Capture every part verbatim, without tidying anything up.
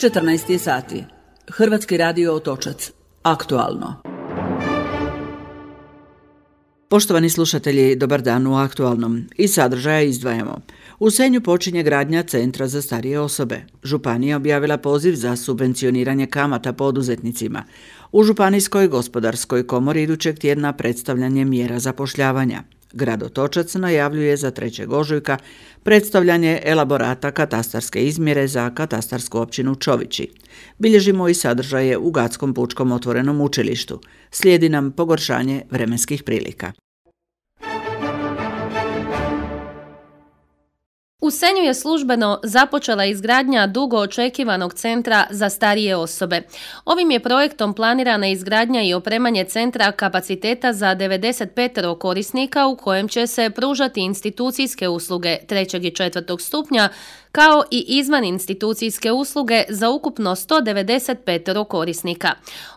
četrnaest je sati. Hrvatski radio Otočac. Aktualno. Poštovani slušatelji, dobar dan u Aktualnom. Iz sadržaja izdvajamo. U Senju počinje gradnja Centra za starije osobe. Županija objavila poziv za subvencioniranje kamata poduzetnicima. U Županijskoj gospodarskoj komori idućeg tjedna predstavljanje mjera zapošljavanja. Grad Otočac najavljuje za trećeg ožujka predstavljanje elaborata katastarske izmjere za katastarsku općinu Čovići. Bilježimo i sadržaje u Gatskom pučkom otvorenom učilištu. Slijedi nam pogoršanje vremenskih prilika. U Senju je službeno započela izgradnja dugo očekivanog centra za starije osobe. Ovim je projektom planirana izgradnja i opremanje centra kapaciteta za devedeset pet korisnika u kojem će se pružati institucijske usluge trećeg i četvrtog stupnja, kao i izvan institucijske usluge za ukupno sto devedeset pet korisnika.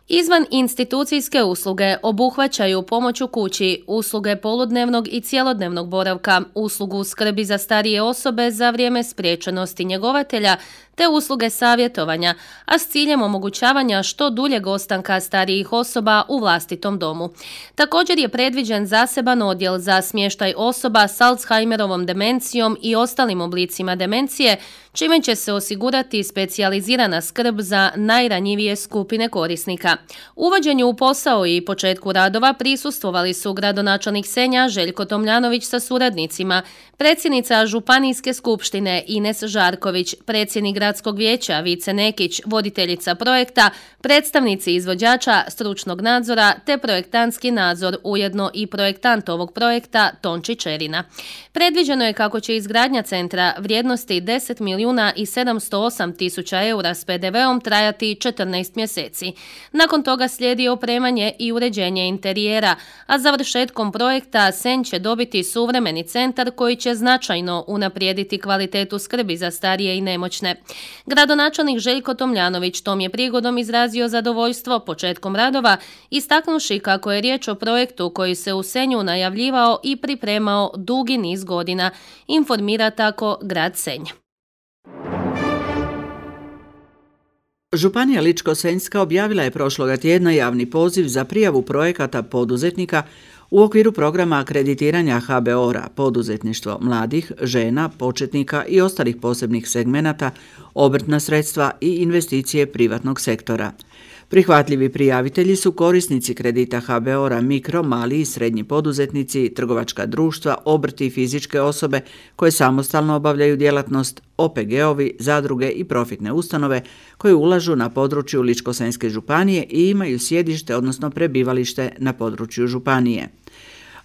Izvan institucijske usluge obuhvaćaju pomoć u kući, usluge poludnevnog i cjelodnevnog boravka, uslugu skrbi za starije osobe za vrijeme spriječenosti njegovatelja, te usluge savjetovanja, a s ciljem omogućavanja što duljeg ostanka starijih osoba u vlastitom domu. Također je predviđen zaseban odjel za smještaj osoba s Alzheimerovom demencijom i ostalim oblicima demencije, čime će se osigurati specijalizirana skrb za najranjivije skupine korisnika. Uvođenju u posao i početku radova prisustvovali su gradonačelnik Senja Željko Tomljanović sa suradnicima, predsjednica Županijske skupštine Ines Žarković, predsjednik Gradskog vijeća Vice Nekić, voditeljica projekta, predstavnici izvođača, stručnog nadzora te projektantski nadzor, ujedno i projektant ovog projekta Tonči Čerina. Predviđeno je kako će izgradnja centra vrijednosti deset milijuna i sedamsto osam tisuća eura s pe de veom trajati četrnaest mjeseci. Nakon toga slijedi opremanje i uređenje interijera, a završetkom projekta Senj će dobiti suvremeni centar koji će značajno unaprijediti kvalitetu skrbi za starije i nemoćne. Gradonačelnik Željko Tomljanović tom je prigodom izrazio zadovoljstvo početkom radova, istaknuši kako je riječ o projektu koji se u Senju najavljivao i pripremao dugi niz godina, informira tako grad Senj. Županija Ličko-senjska objavila je prošloga tjedna javni poziv za prijavu projekata poduzetnika u okviru programa akreditiranja ha be o ra, poduzetništvo mladih, žena, početnika i ostalih posebnih segmenata, obrtna sredstva i investicije privatnog sektora. Prihvatljivi prijavitelji su korisnici kredita ha be o ra, mikro, mali i srednji poduzetnici, trgovačka društva, obrti i fizičke osobe koje samostalno obavljaju djelatnost, o pe ge ovi, zadruge i profitne ustanove koje ulažu na području Ličko-senjske županije i imaju sjedište, odnosno prebivalište na području županije.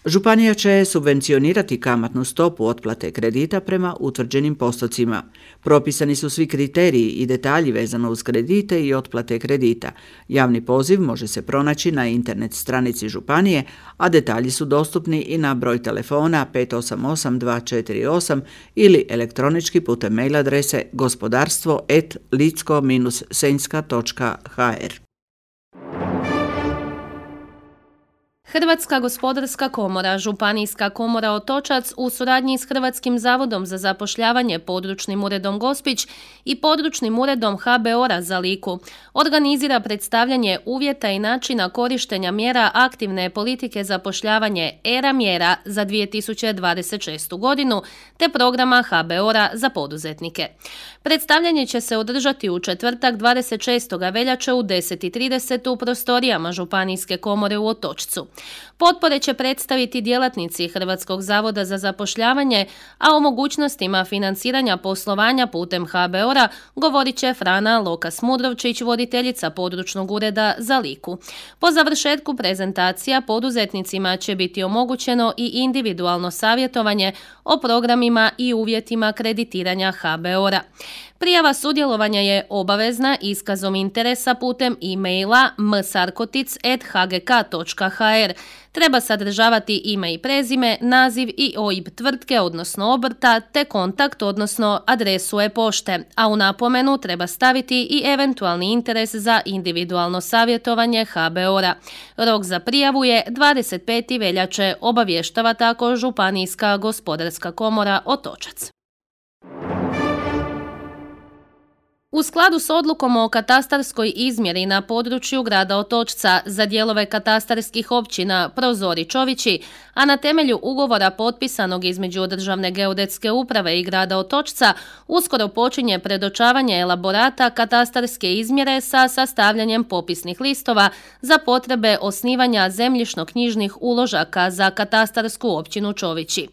Županija će subvencionirati kamatnu stopu otplate kredita prema utvrđenim postocima. Propisani su svi kriteriji i detalji vezano uz kredite i otplate kredita. Javni poziv može se pronaći na internet stranici županije, a detalji su dostupni i na broj telefona pet osam osam dva četiri osam ili elektronički putem mail adrese gospodarstvo at licko senjska točka ha er. Hrvatska gospodarska komora, Županijska komora Otočac u suradnji s Hrvatskim zavodom za zapošljavanje, područnim uredom Gospić i područnim uredom ha be o ra za Liku organizira predstavljanje uvjeta i načina korištenja mjera aktivne politike zapošljavanje era mjera za dvije tisuće dvadeset šestu godinu te programa ha be o ra za poduzetnike. Predstavljanje će se održati u četvrtak dvadeset šestog veljače u deset i trideset u prostorijama Županijske komore u Otočcu. Potpore će predstaviti djelatnici Hrvatskog zavoda za zapošljavanje, a o mogućnostima financiranja poslovanja putem ha be o ra govorit će Frana Lokas-Mudrovčić, voditeljica područnog ureda za Liku. Po završetku prezentacija poduzetnicima će biti omogućeno i individualno savjetovanje o programima i uvjetima kreditiranja ha be o ra. Prijava sudjelovanja je obavezna iskazom interesa putem e-maila m sarkotic at h g k točka h r. Treba sadržavati ime i prezime, naziv i o i be tvrtke, odnosno obrta, te kontakt, odnosno adresu e-pošte, a u napomenu treba staviti i eventualni interes za individualno savjetovanje ha be o ra. Rok za prijavu je dvadeset peti veljače, obavještava tako Županijska gospodarska komora Otočac. U skladu s odlukom o katastarskoj izmjeri na području grada Otočca za dijelove katastarskih općina Prozor i Čovići, a na temelju ugovora potpisanog između Državne geodetske uprave i grada Otočca, uskoro počinje predočavanje elaborata katastarske izmjere sa sastavljanjem popisnih listova za potrebe osnivanja zemljišno-knjižnih uložaka za katastarsku općinu Čovići.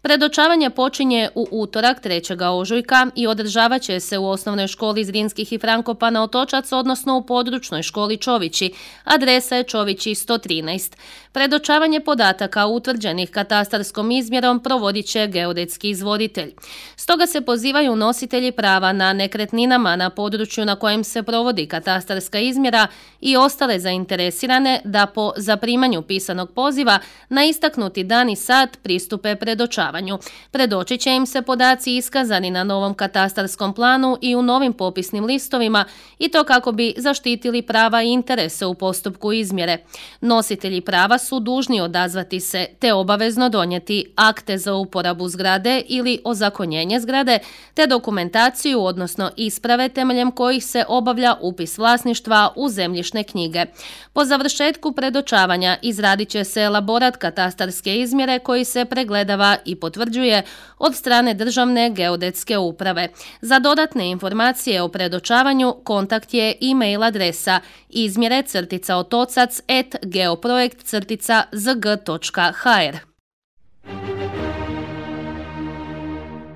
Predočavanje počinje u utorak trećeg ožujka i održavat će se u osnovnoj školi Zrinskih i Frankopana Otočac, odnosno u područnoj školi Čovići. Adresa je Čovići sto trinaest. Predočavanje podataka utvrđenih katastarskom izmjerom provodit će geodetski izvoditelj. Stoga se pozivaju nositelji prava na nekretninama na području na kojem se provodi katastarska izmjera i ostale zainteresirane da po zaprimanju pisanog poziva na istaknuti dan i sat pristupe predočavanju. Predočit će im se podaci iskazani na novom katastarskom planu i u novim popisnim listovima, i to kako bi zaštitili prava i interese u postupku izmjere. Nositelji prava su dužni odazvati se te obavezno donijeti akte za uporabu zgrade ili ozakonjenje zgrade te dokumentaciju, odnosno isprave temeljem kojih se obavlja upis vlasništva u zemljišne knjige. Po završetku predočavanja izradit će se elaborat katastarske izmjere koji se pregledava i potvrđuje od strane Državne geodetske uprave. Za dodatne informacije o predočavanju kontakt je e-mail adresa izmjere crtica otocac et geoprojekt crtica zg točka hr.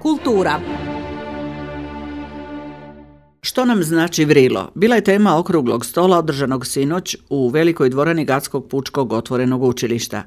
Kultura. Što nam znači vrilo? Bila je tema okruglog stola održanog sinoć u velikoj dvorani Gatskog pučkog otvorenog učilišta.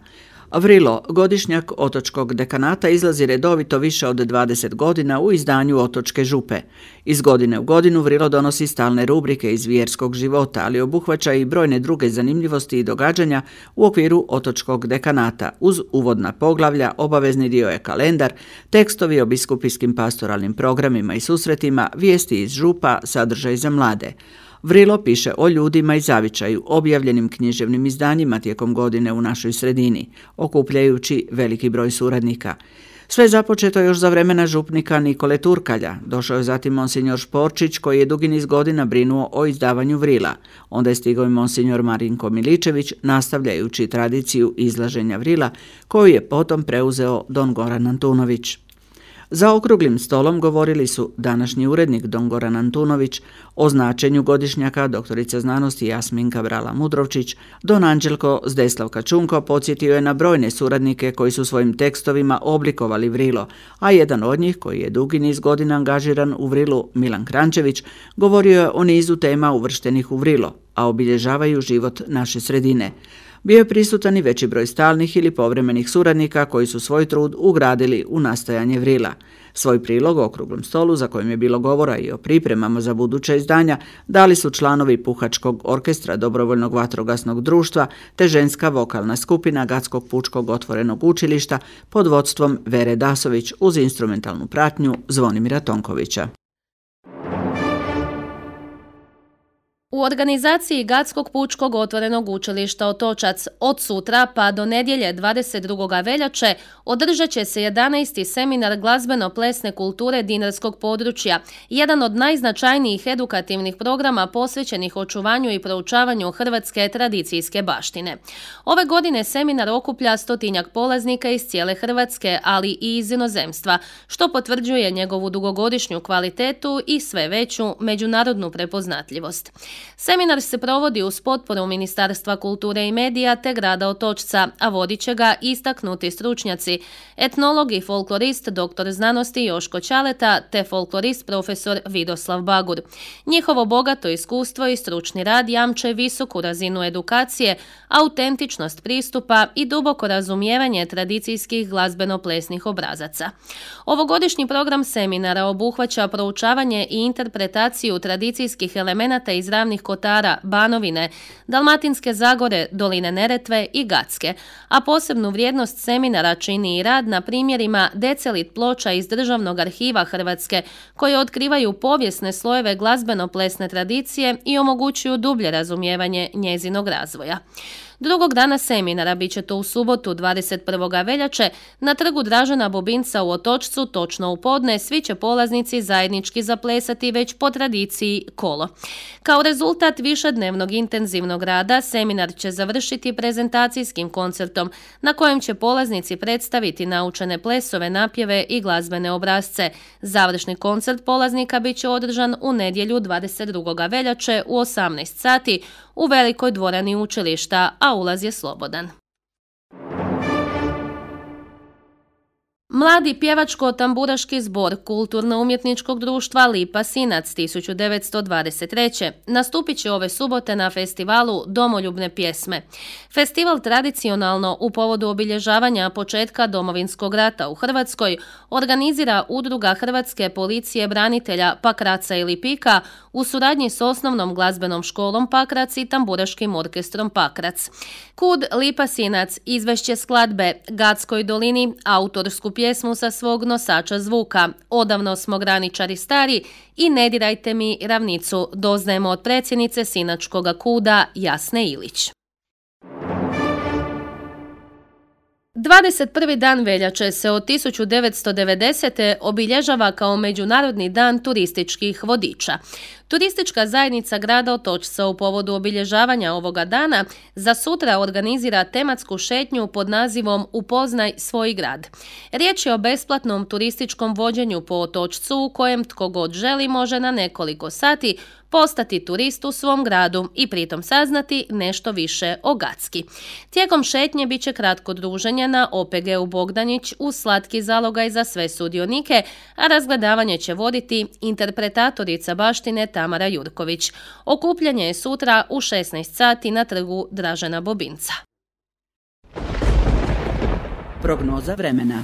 Vrilo, godišnjak otočkog dekanata, izlazi redovito više od dvadeset godina u izdanju Otočke župe. Iz godine u godinu Vrilo donosi stalne rubrike iz vjerskog života, ali obuhvaća i brojne druge zanimljivosti i događanja u okviru otočkog dekanata. Uz uvodna poglavlja, obavezni dio je kalendar, tekstovi o biskupijskim pastoralnim programima i susretima, vijesti iz župa, sadržaj za mlade. Vrilo piše o ljudima i zavičaju, objavljenim književnim izdanjima tijekom godine u našoj sredini, okupljajući veliki broj suradnika. Sve je započeto još za vremena župnika Nikole Turkalja. Došao je zatim monsignor Šporčić, koji je dugi niz godina brinuo o izdavanju Vrila. Onda je stigao i monsignor Marinko Miličević, nastavljajući tradiciju izlaženja Vrila, koju je potom preuzeo don Goran Antunović. Za okruglim stolom govorili su današnji urednik don Goran Antunović, o značenju godišnjaka doktorica znanosti Jasminka Brala-Mudrovčić, don Anđelko Zdeslavka Čunko podsjetio je na brojne suradnike koji su svojim tekstovima oblikovali Vrilo, a jedan od njih, koji je dugi niz godina angažiran u Vrilu, Milan Krančević, govorio je o nizu tema uvrštenih u Vrilo, a obilježavaju život naše sredine. Bio je prisutan i veći broj stalnih ili povremenih suradnika koji su svoj trud ugradili u nastajanje Vrila. Svoj prilog o okruglom stolu, za kojim je bilo govora i o pripremama za buduća izdanja, dali su članovi Puhačkog orkestra Dobrovoljnog vatrogasnog društva te ženska vokalna skupina Gatskog pučkog otvorenog učilišta pod vodstvom Vere Dasović uz instrumentalnu pratnju Zvonimira Tonkovića. U organizaciji Gatskog pučkog otvorenog učilišta Otočac od sutra pa do nedjelje dvadeset drugog veljače održat će se jedanaesti seminar glazbeno-plesne kulture dinarskog područja, jedan od najznačajnijih edukativnih programa posvećenih očuvanju i proučavanju hrvatske tradicijske baštine. Ove godine seminar okuplja stotinjak polaznika iz cijele Hrvatske, ali i iz inozemstva, što potvrđuje njegovu dugogodišnju kvalitetu i sve veću međunarodnu prepoznatljivost. Seminar se provodi uz potporu Ministarstva kulture i medija te grada Otočca, a vodit će ga istaknuti stručnjaci, etnolog i folklorist doktor znanosti Joško Ćaleta te folklorist profesor Vidoslav Bagur. Njihovo bogato iskustvo i stručni rad jamče visoku razinu edukacije, autentičnost pristupa i duboko razumijevanje tradicijskih glazbeno-plesnih obrazaca. Ovogodišnji program seminara obuhvaća proučavanje i interpretaciju tradicijskih elemenata iz ranih Ravnih Kotara, Banovine, Dalmatinske Zagore, Doline Neretve i Gacke, a posebnu vrijednost seminara čini i rad na primjerima decelit ploča iz Državnog arhiva Hrvatske, koje otkrivaju povijesne slojeve glazbeno-plesne tradicije i omogućuju dublje razumijevanje njezinog razvoja. Drugog dana seminara bit će to u subotu dvadeset prvog veljače na trgu Dražena Bobinca u Otočcu, točno u podne, svi će polaznici zajednički zaplesati već po tradiciji kolo. Kao rezultat višednevnog intenzivnog rada, seminar će završiti prezentacijskim koncertom na kojem će polaznici predstaviti naučene plesove, napjeve i glazbene obrasce. Završni koncert polaznika bit će održan u nedjelju dvadeset drugog veljače u osamnaest sati u velikoj dvorani učilišta, a ulaz je slobodan. Mladi pjevačko-tamburaški zbor Kulturno-umjetničkog društva Lipa Sinac tisuću devetsto dvadeset treće nastupit će ove subote na festivalu Domoljubne pjesme. Festival tradicionalno u povodu obilježavanja početka Domovinskog rata u Hrvatskoj organizira Udruga Hrvatske policije branitelja Pakraca i Lipika u suradnji s osnovnom glazbenom školom Pakrac i tamburaškim orkestrom Pakrac. Kud Lipa Sinac izvešće skladbe Gatskoj dolini, autorsku pjesmu sa svog nosača zvuka Odavno smo graničari stari i Ne dirajte mi ravnicu doznajemo od predsjednice Sinačkoga kuda Jasne Ilić. dvadeset prvi dan veljače se od tisuću devetsto devedesete. obilježava kao Međunarodni dan turističkih vodiča. Turistička zajednica grada Otočca u povodu obilježavanja ovoga dana za sutra organizira tematsku šetnju pod nazivom Upoznaj svoj grad. Riječ je o besplatnom turističkom vođenju po Otočcu u kojem tko god želi može na nekoliko sati postati turist u svom gradu i pritom saznati nešto više o Gacki. Tijekom šetnje bit će kratko druženje na O P G-u Bogdanić uz slatki zalogaj za sve sudionike, a razgledavanje će voditi interpretatorica baštine Tamara Jurković. Okupljanje je sutra u šesnaest sati na trgu Dražena Bobinca. Prognoza vremena.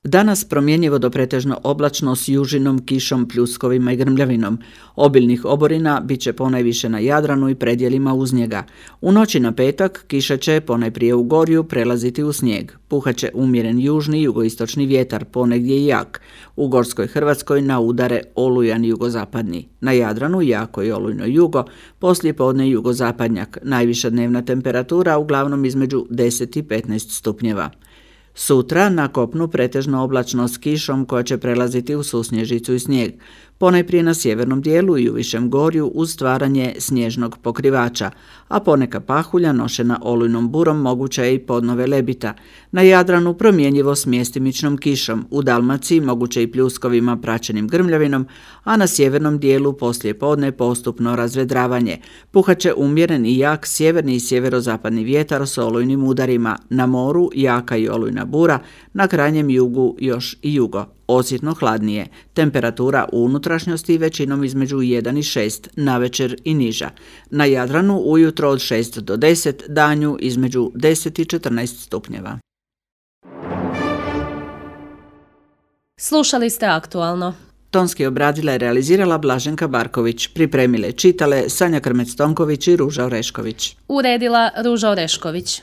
Danas promjenjivo do pretežno oblačno s južinom, kišom, pljuskovima i grmljavinom. Obilnih oborina bit će ponajviše na Jadranu i predjelima uz njega. U noći na petak kiša će ponajprije u Gorju prelaziti u snijeg. Puhat će umjeren južni i jugoistočni vjetar, ponegdje i jak. U Gorskoj Hrvatskoj na udare olujan jugozapadni. Na Jadranu jako i olujno jugo, poslije podne jugozapadnjak. Najviša dnevna temperatura uglavnom između deset i petnaest stupnjeva. Sutra na kopnu pretežno oblačno s kišom koja će prelaziti u susnježicu i snijeg. Ponajprije na sjevernom dijelu i u višem gorju uz stvaranje snježnog pokrivača, a poneka pahulja nošena olujnom burom moguća je i podnove lebita. Na Jadranu promjenjivo s mjestimičnom kišom, u Dalmaciji moguće i pljuskovima praćenim grmljavinom, a na sjevernom dijelu poslije podne postupno razvedravanje. Puhat će umjeren i jak sjeverni i sjeverozapadni vjetar s olujnim udarima, na moru jaka i olujna bura, na krajnjem jugu još i jugo. Osjetno hladnije, temperatura u unutrašnjosti većinom između jedan i šest, navečer i niža. Na Jadranu ujutro od šest do deset, danju između deset i četrnaest stupnjeva. Slušali ste Aktualno. Tonski obradila i realizirala Blaženka Barković, pripremile čitale Sanja Krmec-Tonković i Ruža Orešković. Uredila Ruža Orešković.